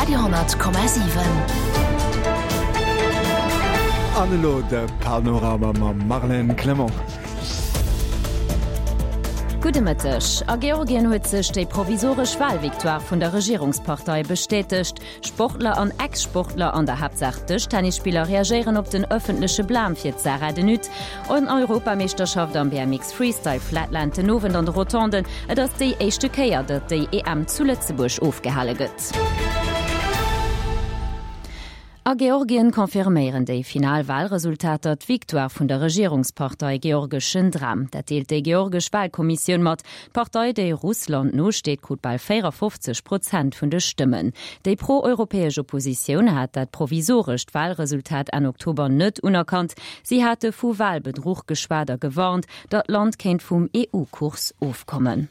Radio,7. An elo de Panorama mam Marlène Clement. Gudde Mëtteg. A Georgien huet sech déi provisoresch Walvictoire vun der Regierungspartei bestätegt. Sportler an Ex-Sportler, an der Haaptsaach Dëschtennisspiller, reagéieren op den ëffentleche Blam fir d'Sarah De Nutte. En Europameeschterschaft am BMX Freestyle Flatland den Owend an de Rotonden. Et ass déi éischte Kéier, datt déi EM zu Lëtzebuerg ofgehale gëtt. A Georgien confirméieren déi final Walresultater d'Victoire vun der Regierungspartei Georgeschen Dram. Dat deelt déi georgesch Walkommissioun mat. D'Partei, déi Russland nosteet, krut bal 54 Prozent vun de Stëmmen. Déi pro-europäesch Oppositioun hat dat provisorescht Walresultat Enn Oktober net unerkannt. Si hate vu Walbedruch geschwat a gewarnt, datt d'Land kéint vum EU-Kurs ofkommen.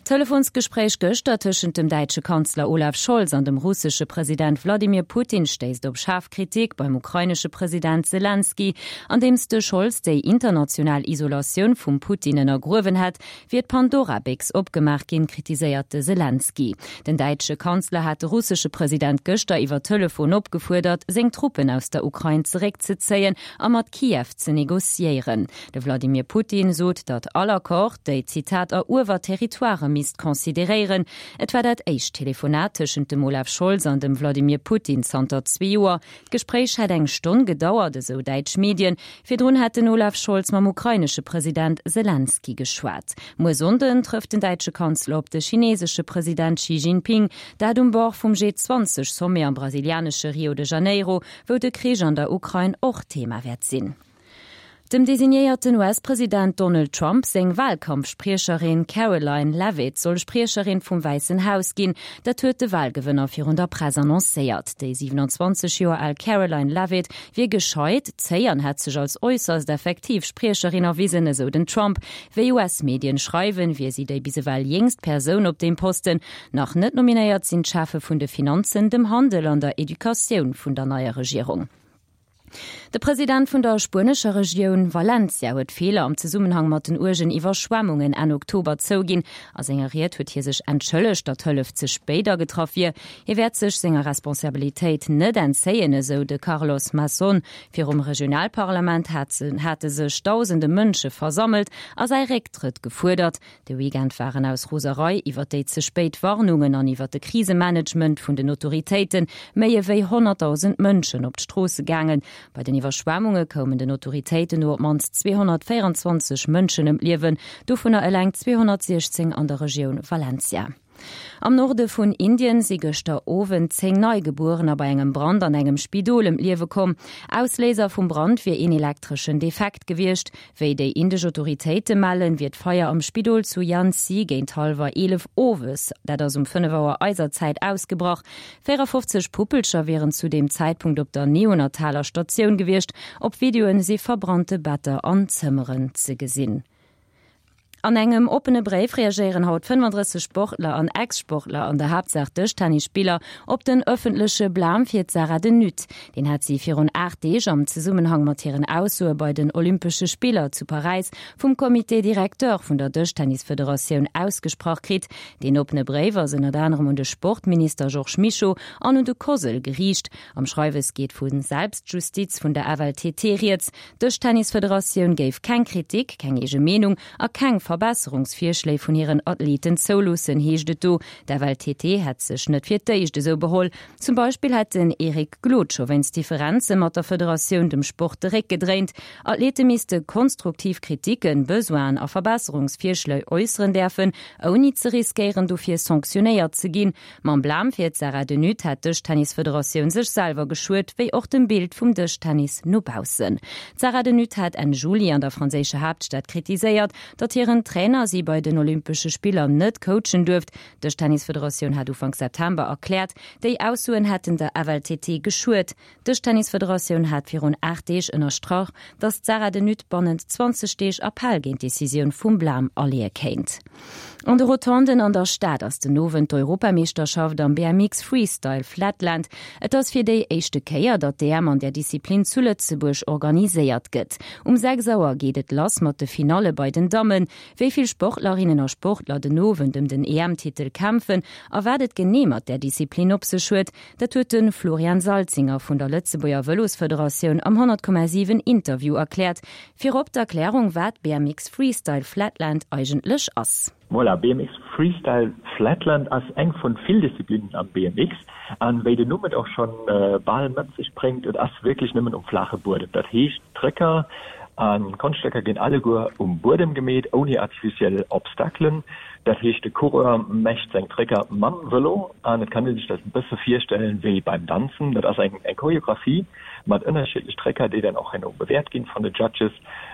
D'Telefonsgespréich gëschter tëschent dem däitsche Kanzler Olaf Scholz an dem russesche President Wladimir Putin stéisst op schaarf Kritik beim ukrainesche President Selenskyj. Andeems de Scholz déi international Isolatioun vum Putin ënnergruewen hätt, wier d'Pandora-Béchs opgemaach ginn, kritiséiert de Selenskyj. Den däitsche Kanzler hat de russesche President gëschter iwwer Telefon opgefuerdert, seng Truppen aus der Ukrain zeréckzezéien a mat Kiew ze negociéieren. De Wladimir Putin sot, datt all Accord déi, Zitat, eruewer Territoirë misst consideréieren. Et war dat éischt Telefonat tëschent dem Olaf Scholz an dem Wladimir Putin zanter zwee Joer. D'Gespréich hätt eng Stonn gedauert, esou däitsch Medien. Virdrun hätt den Olaf Scholz mam ukrainesche President Selenskyj geschwat. Muer Sonnden trëfft den däitsche Kanzler op de chinesesche President Xi Jinping, dat um Bord vum G20-Sommet am brasilianesche Rio de Janeiro, wou de Krich an der Ukrain och Thema wäert sinn. Dem designéierten US-President Donald Trump seng Walkampfspriecherin Karoline Leavitt soll Spriecherin vum Wäissen Haus ginn. Dat huet de Walgewënner virun der Press annoncéiert. Déi 27 Joer al Karoline Leavitt wier gescheit, zéi an hätt sech als äusserst effektiv Spriecherin erwisen, esou den Trump. Wéi US-Medien schreiwen, wier si déi bis ewell jéngst Persoun op deem Posten. Nach net nominéiert sinn d'Cheffe vun de Finanzen, dem Handel an der Educatioun vun der neier Regierung. De President vun der spuenescher Regioun Valencia huet Feeler am Zesummenhang mat den uergen Iwwerschwemmungen Enn Oktober zouginn. A senger Ried huet hie sech entschëllegt, datt d'Hëllef ze spéit agetraff wier. Hie wäert sech senger Responsabilitéit net entzéien, esou de Carlos Mazón. Virum Regionalparlament hate sech dausende Mënsche versammelt a säi Récktrëtt gefuerdert. De Weekend waren aus Roserei iwwer déi ze spéit Warnungen an iwwer de Krisemanagement vun den Autoritéite méi ewéi 100.000 Mënschen op d'Stroosse gaangen. Bei den Iwwerschwemmunge koumen den Autoritéiten no op d'mannst 224 Mënschen ëm d'Liewen, dovunner eleng 216 an der Regioun Valencia. Am Norde vun Indien si gëschter Owend 10 Neigebuerener bei engem Brand an engem Spidol ëm d'Liewe komm. Ausléiser vum Brand wier een elektreschen Defekt gewiescht. Wéi déi indesch Autoritéite mellen, wier d'Feier am Spidol zu Jhansi géint hallwer 11 owes, dat ass um 5 Auer eiser Zäit, ausgebrach. 54 Puppelcher wieren zu deem Zäitpunkt op der neonataler Statioun gewiescht. Op Videoen si verbrannte Better an Zëmmeren ze gesinn. An engem oppene Bréif reagéieren haut 35 Sportler an Ex-Sportler, an der Haaptsaach Dëschtennisspiller, op den ëffentleche Blam fir d'Sarah De Nutte. Deen hat si virun 8 Deeg am Zesummenhang mat hiren Aussoe bei den Olympesche Spiller zu Paräis vum Comité directeur vun der Dëschtennisfederatioun ausgesprach kritt. Deen oppene Bréif ass ënnert anerem un de Sportminister Georges Mischo an un de COSL geriicht. Am Schreiwes geet vu Selbstjustiz vun der FLTT rieds. D'Dëschtennisfederatioun géif keng Kritik, keng eege Meenung a keng Verbesserungsvirschléi vun hiren Athleten zouloossen, heescht et do. D'FLTT hätt sech net fir d'éischt esou beholl. Zum Beispill hätt den Eric Glod scho wéinst Differenze mat der Federatioun dem Sport de Réck gedréint. Athlete misste konstruktiv Kritiken, Besoinen a Verbesserungsvirschléi äusseren däerfen, ouni ze riskéieren dofir sanktionéiert ze ginn. Mam Blam fir d'Sarah De Nutte hätt d'Dëschtennisfederatioun sech selwer geschuet, wéi och dem Bild vum Dëschtennis no baussen. D'Sarah De Nutte hat Enn Juli an der franséischer Haaptstad kritiséiert, datt hiren Trainer si bei den Olympesche Spiller net coachen duerft. D'Dëschtennisfederatioun hat Ufank September erkläert, déi Aussoen hätten der FLTT geschuet. D'Dëschtennisfederatioun hat virun 8 Deeg ënnerstrach, datt d'Sarah De Nutte bannent 20 Deeg Appell géint d'Decisioun vum Blam aleeë kéint. An de Rotonden an der Stad ass den Owend d'Europameeschterschaft am BMX Freestyle Flatland. Et ass fir déi éischte Kéier, datt d'EM an där Disziplin zu Lëtzebuerg organiséiert gëtt. Um 6 Auer geet et lass mat de Finalle bei den Dammen. Wéi vill Sportlerinnen a Sportler den Owend ëm den EM-Titel kämpfen a wat et genee mat där Disziplin op sech huet, dat huet de Florian Salzinger vun der Lëtzebuerger Vëlosfederatioun am 100,7 Interview erkläert. Virop d'Erklärung, wat BMX Freestyle Flatland eigentlech ass. Voilà, BMX Freestyle Flatland ass eng vun vill Disziplinnen am BMX an wéi den Numm et och schon bal mat sech bréngt, et ass wierklech nëmmen um flaache Buedem. Dat heescht Trëcker an Konschtstécker ginn alleguer um Buedem gemeet, ouni artificiel Obstaclen. Dat heescht de Coureur mecht seng Trëcker mam Vëlo an et kann ee sech dat e bësse virstellen wéi beim Danzen. Dat ass eng Choreographie mat ënnerschiddlech Trëcker, déi dann och herno bewäert ginn vun de Judges.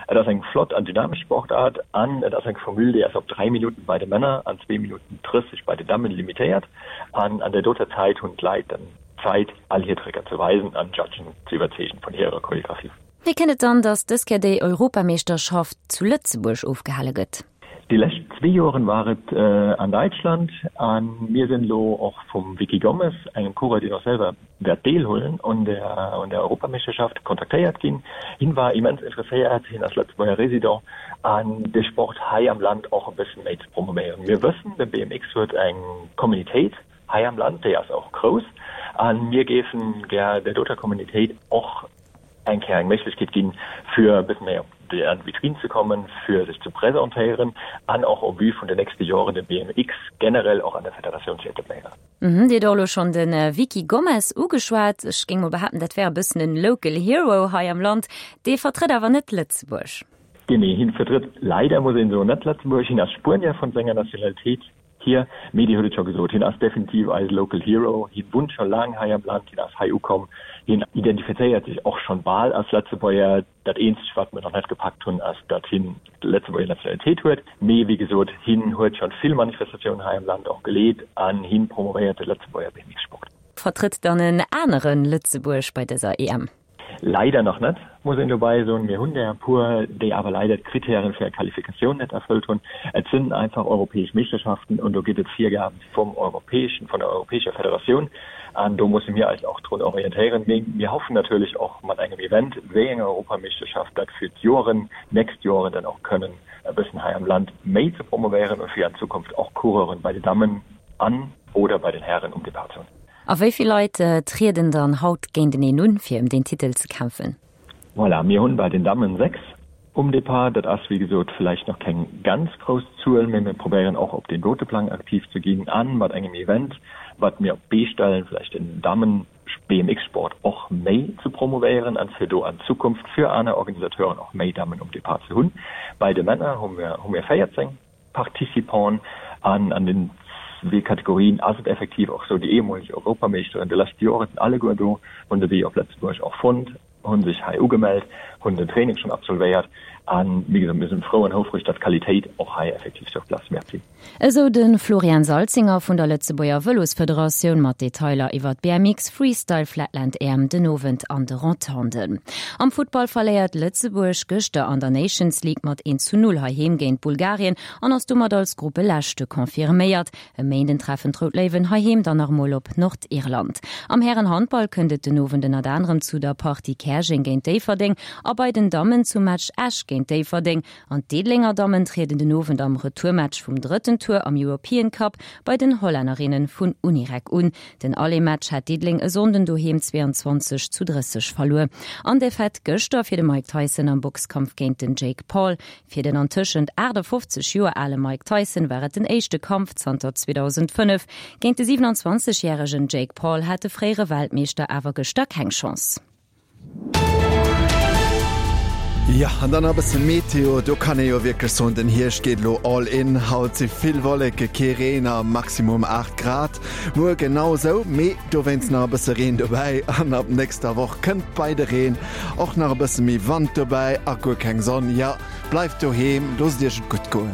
Et ass eng flott an dynamesch Sportaart an et ass eng Formule, déi ass op 3 Minutten bei de Männer an 2 Minutten 30 bei de Dammen limitéiert. An an där doter Zäit hunn d'Leit dann Zäit, all hir Tricker ze weisen an d'Judgen ze iwwerzeegen vun hirer Choreographie. Wéi kënnt et dann, datt dës Kéier déi Europameeschterschaft zu Lëtzebuerg ofgehale gëtt? Déi lescht zwee Joren war et an Däitschland a mir sinn elo och vum Vicky Gomez, engem Coureur, deen och selwer wäert deelhuelen un der un der Europameeschterschaft, kontaktéiert ginn. Hien war immens interesséiert, hien ass Lëtzebuerger Resident, an de Sport hei am Land och e bëssen méi ze promovéieren. Mir wëssen, de BMX huet eng Communitéit hei am Land, déi ass och grouss a mir géifen gär där doter Communitéit och eng Kéier eng Méiglechkeet ginn, fir e bëssen méi op déi an d'Vitrine ze kommen, fir sech ze presentéieren an och au vu vun den nächste Joren de BMX generell och an der Federatioun ze etabléieren. Dir hutt och elo schonn de Vicky Gomez ugeschwat. Ech géing mol behaapten, dat wär e bëssen en local hero hei am Land. Dee vertrëtt awer net Lëtzebuerg. Genee, hien vertrëtt leider, muss een soen, net Lëtzebuerg. Hien ass Spuenier vun senger Nationalitéit hier, mee Dir hutt et scho gesot, hien ass definitiv eise local hero. Hien wunnt scho laang hei am Land, hien ass hei ukomm, hien identifizéiert sech och schonn bal als Lëtzebuerger. Dat eenzegt, wat mir nach net gepackt hunn, ass, datt hien d'Lëtzebuerger Nationalitéit huet. Mee wéi gesot, hien huet schonn vill Manifestatiounen hei am Land och geleet an hien promovéiert de Lëtzebuerger BMX-Sport. Vertrëtt dann en anere Lëtzebuerg bei dëser EM? Leider nach net, muss een dobäi soen. Mir hunn der e puer, déi awer leider d'Kritären fir eng Qualifikatioun net erfëllt hunn. Et sinn einfach europäesch Meeschterschaften an do gëtt et Virgaben vum europäeschen, vun der europäescher Federatioun an do musse mir eis och drun orientéieren. Mee mir hoffen natierlech och mat engem Event wéi enger Europameeschterschaft dat fir d'Joren, nächst Joren dann och kënnen e bëssen hei am Land méi ze promovéieren a fir an Zukunft och Coureuren bei de Dammen an oder bei den Hären um Depart ze hunn. A wéi vill Leit trieden dann haut géinteneen un, fir ëm deen Titel ze kämpfen? Voilà, mir hunn bei den Dammen 6 um Depart. Dat ass wéi gesot vläicht nach keng ganz grouss Zuel, mee mir probéieren och op deem dote Plang aktiv ze ginn a mat engem Event, wat mir op d'Bee stellen, vläicht den Dammen-BMX-Sport och méi ze promovéieren an fir do an Zukunft fir aner Organisateuren och méi Dammen um Depart ze hunn. Bei de Männer hu mir hu mir 14. Participanten an an den zwee Kategorien ass et effektiv och sou, déi ehemoleg Europameeschteren de leschte Joren sinn alleguer do, hunn de Wee op Lëtzebuerg och fonnt, hunn sech hei ugemellt, hunn den Training schonn absolvéiert an wéi gesot, mir sinn frou an houfreg, datt d'Qualitéit och hei effektiv sur place. Merci. Esou de Florian Salzinger vun der Lëtzebuerger Vëlosfederatioun mat Detailer iwwer d'BMX Freestyle Flatland EM den Owend an de Rotonden. Am Futtball verléiert Lëtzebuerg gëschter an der Nations League mat 1 zu 0 heiheem géint Bulgarien an ass domat als Gruppeleschte confirméiert. E Méinden treffen d'Rout Léiwen heiheem dann nach emol op Nordirland. Am Hären-Handball kënnt et den Owend ënnert anerem zu der Partie Käerjeng géint Déifferdeng a bei den Dammen zum Match Esch géint Déifferdeng. An d'Diddelenger Dammen trieden den Owend am Retourmatch vum drëtten Tour am European Cup bei den Hollännerinne vun Unirec un. Den Aller-Match hat Diddeleng e Sonnden doheem 22 zu 30 verluer. An Defaite gëschter fir de Mike Tyson am Boxkampf géint den Jake Paul. Fir den antëschent 58 Joer ale Mike Tyson war et den éischte Kampf zanter 2005. Géint de 27 järegen Jake Paul hat de fréiere Weltmeeschter awer gëschter keng Chance. Jo, an dann nach e bësse Meteo. Do kann ee jo wierklech soen, den Hierscht geet elo all in. Haut si vill Wolleke, kee Reen a Maximum 8 Grad. Muer genau esou, mee dowéinst nach e bësse Reen dobäi. An ab nächster Woch kënnt bei de Reen och nach e bësse méi Wand dobäi a guer keng Sonn. Jo, bleift doheem, loosst iech et gutt goen.